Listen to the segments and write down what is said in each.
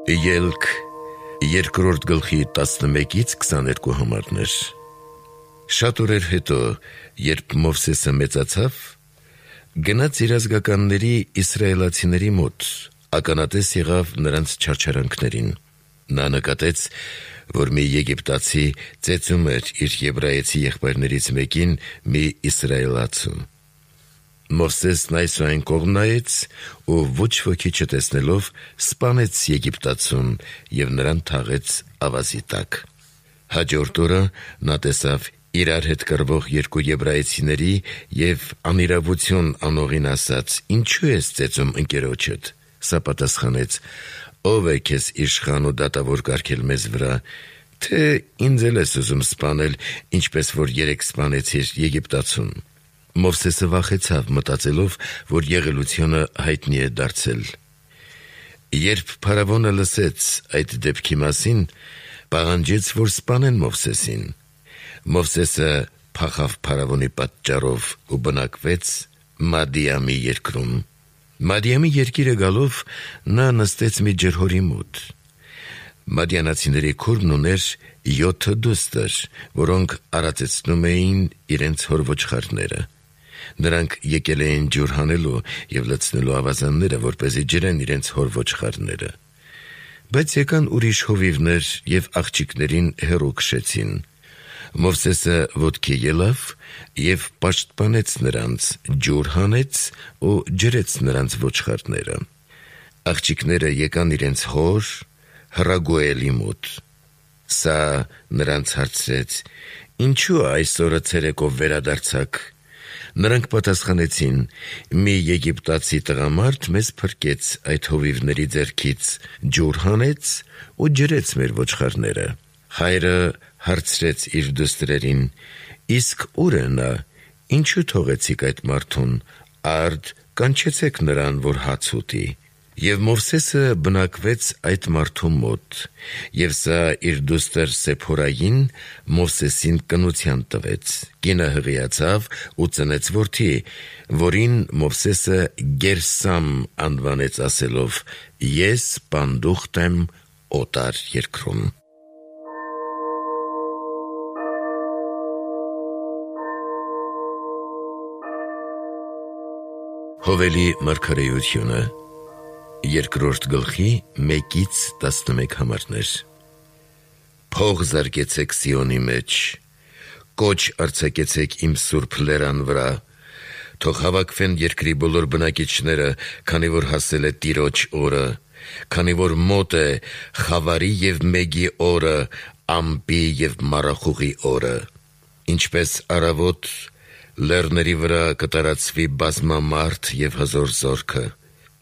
Ելք 2-րդ գլխի 11-ից 22 համարներ։ Շատ օրեր հետո, երբ Մովսեսը մեծացավ, գնաց իր ազգականների իսրայելացիների մոտ, ականատես եղավ նրանց չարչարանքներին։ Նա նկատեց, որ մի եգիպտացի ծեծում էր իր եբրայեցի եղբայրներից մեկին մի իսրայելացու։ Մովսեսն այս ու այն կողմ նայեց ու ոչ ոքի չտեսնելով սպանեց Եգիպտացուն և նրան թաղեց ավազի տակ։ Հաջորդ օրը նա տեսավ իրար հետ կռվող երկու եբրայեցիների և անիրավություն անողին ասաց. «Ինչու ես ծեծում ընկերոջդ»։ Սա պատասխանեց. «Ո՞վ է քեզ իշխան ու դատավոր կարգել մեզ վրա, թե ինձ էլ ես ուզում սպանել, ինչպես որ երեկ սպանեցիր Եգիպտացուն»։ Մովսեսը վախեցավ, մտածելով, որ եղելությունը հայտնի է դարձել։ Երբ փարավոնը լսեց այդ դեպքի մասին, պահանջեց, որ սպանեն Մովսեսին։ Մովսեսը փախավ փարավոնի պատճառով ու բնակվեց Մադիամի երկրում։ Մադիամի երկիրը գալով նա նստեց մի ջրհորի մոտ։ Մադիանացիների քուրմն ուներ 7 դուստր, որոնք արածեցնում էին իրենց հոր ոչխարները։ Նրանք եկել էին ջուր հանելու և լցնելու ավազանները, որպեսզի ջրեն իրենց հոր ոչխարները։ Բայց եկան ուրիշ հովիվներ և աղջիկներին հեռու քշեցին։ Մովսեսը ոտքի ելավ և պաշտպանեց նրանց, ջուր հանեց ու ջրեց նրանց ոչխարները։ Աղջիկները եկան իրենց հոր Ռագուելի մոտ։ Սա նրանց հարցրեց. «Ինչու այսօրը ցերեկով վերադարձաք»։ Նրանք պատասխանեցին. «Մի եգիպտացի տղամարդ մեզ փրկեց այդ հովիվների ձեռքից, ջուր հանեց ու ջրեց մեր ոչխարները»։ Հայրը հարցրեց իր դուստրերին. «Իսկ ուր է նա, ինչու թողեցիք այդ մարդուն, արդ կանչեցեք նրան, որ հաց ուտի»։ Եվ Մովսեսը բնակվեց այդ մարդու մոտ, և սա իր դուստր Սեփորային Մովսեսին կնության տվեց։ Կինը հղիացավ ու ծնեց որդի, որին Մովսեսը Գերսամ անվանեց, ասելով. «Ես պանդուխտ եմ օտար երկրում»։ Հովելի մարգարեությունը 2-րդ գլխի 1-11 համարներ։ Փող զարկեցեք Սիոնի մեջ, կոչ արձակեցեք իմ սուրբ լերան վրա, թող հավաքվեն երկրի բոլոր բնակիչները, քանի որ հասել է Տիրոջ օրը, քանի որ մոտ է խավարի և մեգի օրը, ամպի և մառախուղի օրը։ Ինչպես առավոտ լեռների վրա կտարածվի բազմամարդ և հզոր զորքը,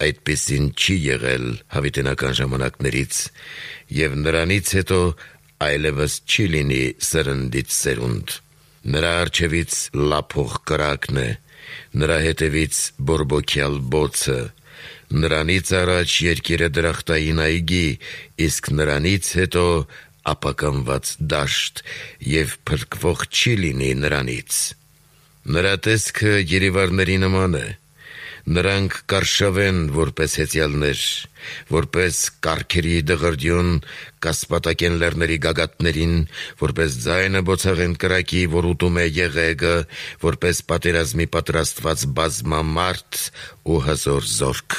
այդպիսին չի եղել հավիտենական ժամանակներից, և նրանից հետո այլևս չի լինի սերնդից սերունդ։ Նրա առջևից լափող կրակն է, նրա հետևից բորբոքյալ բոցը, նրանից առաջ երկիրը դրախտային այգի, իսկ նրանից հետո ապականված դաշտ, և փրկվող չի լինի նրանից։ Նրա տեսքը երևարների նման է, նրանք կարշավեն որպես հեծյալներ, որպես կառքերի դղրդյուն կասպատակեն լեռների գագաթներին, որպես ձայնը բոցաղեն կրակի, որ ուտում է եղեգը, որպես պատերազմի պատրաստված բազմամարդ ու հզոր զորք։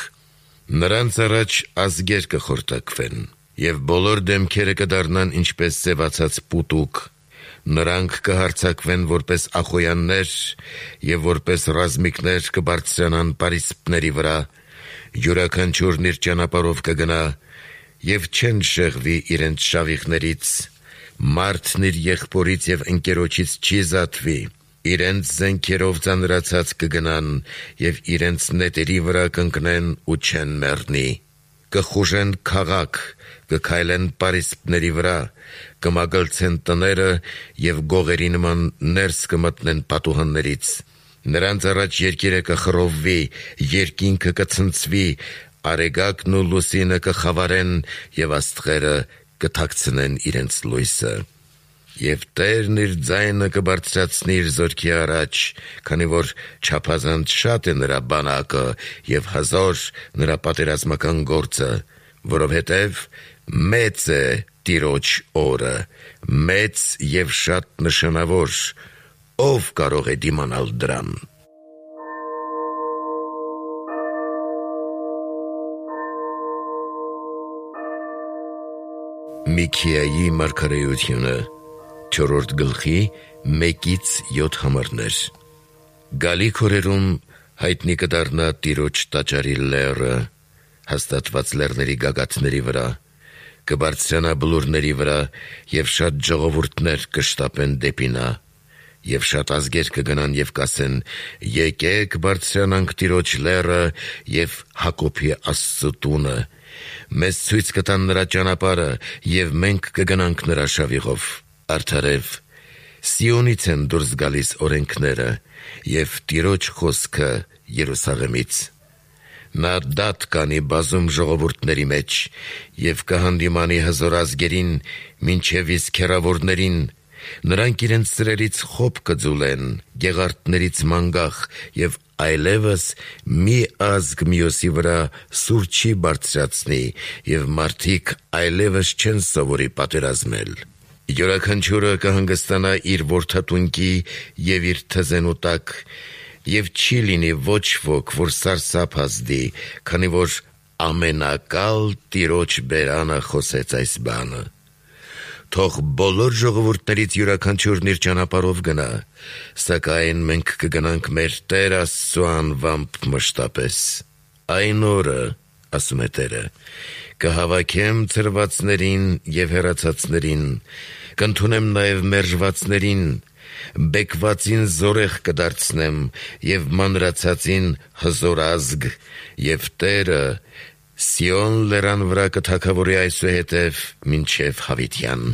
Նրանց առաջ ազգեր կխորտակվեն, և բոլոր դեմքերը կդառնան ինչպես սևացած պուտուկ։ Նրանք կհարձակվեն որպես ախոյաններ և որպես ռազմիկներ կբարձրանան պարիսպների վրա, յուրաքանչյուրն իր ճանապարհով կգնա և չեն շեղվի իրենց շավիղներից։ Մարդն իր եղբորից և ընկերոջից չի զատվի, իրենց զենքերով ծանրացած կգնան և իրենց նետերի վրա կընկնեն ու չեն մեռնի։ Կխուժեն քաղաք, կքայլեն պարիսպների վրա, կմագլցեն տները և գողերի նման ներս կմտնեն պատուհաններից։ Նրանց առաջ երկիրը կխռովվի, երկինքը կցնցվի, արեգակն ու լուսինը կխավարեն և աստղերը կթաքցնեն իրենց լույսը։ Եվ Տերն իր ձայնը կբարձրացնի իր զորքի առաջ, քանի որ չափազանց շատ է նրա բանակը և հզոր նրա պատերազմական գործը, որովհետև Մեծ է Տիրոջ օրը, մեծ և շատ նշանավոր, ով կարող է դիմանալ դրան։ Միքիայի մարգարեությունը 4-րդ գլխի 1-7 համարներ։ Գալիք օրերում հայտնի կդառնա Տիրոջ տաճարի լեռը, հաստատված լեռների գագաթների վրա, կբարձրանա բլուրների վրա, և շատ ժողովուրդներ կշտապեն դեպի նա, և շատ ազգեր կգնան և կասեն. «Եկեք բարձրանանք Տիրոջ լեռը և Հակոբի Աստծու տունը, մեզ ցույց կտան նրա ճանապարհը, և մենք կգնանք նրա շավիղով»։ Արդարև, Սիոնից են դուրս գալիս օրենքները, և Տիրոջ խոսքը Երուսաղեմից։ Նա դատ կանի բազում ժողովուրդների մեջ, և կհանդիմանի հզոր ազգերին, մինչև իսկ հեռավորներին, նրանք իրենց սրերից խոբ կձուլեն, գեղարդներից մանգաղ, և այլևս մի ազգ մյուսի վրա սուր չի բարձրացնի, և մարդիկ այլևս չեն սովորի պատերազմել։ Յուրաքանչյուրը կհանգստանա իր որդատունկի և իր թզենու տակ, և չի լինի ոչ ոք, որ սարսափ ազդի, քանի որ ամենակալ Տիրոջ բերանը խոսեց այս բանը։ Թող բոլոր ժողովուրդներից յուրաքանչյուրն իր ճանապարհով գնա, սակայն մենք կգնանք մեր Տեր Աստծու անվամբ մշտապես։ Այն օրը, ասում է Տերը, կհավաքեմ ցրվածներին և հեռացածներին, կընդունեմ նաև մերժվածներին, բեկվածին զորեղ կդարձնեմ և մանրացածին հզոր ազգ, և Տերը Սիոն լեռան վրա կթագավորի այսուհետև մինչև հավիտյան։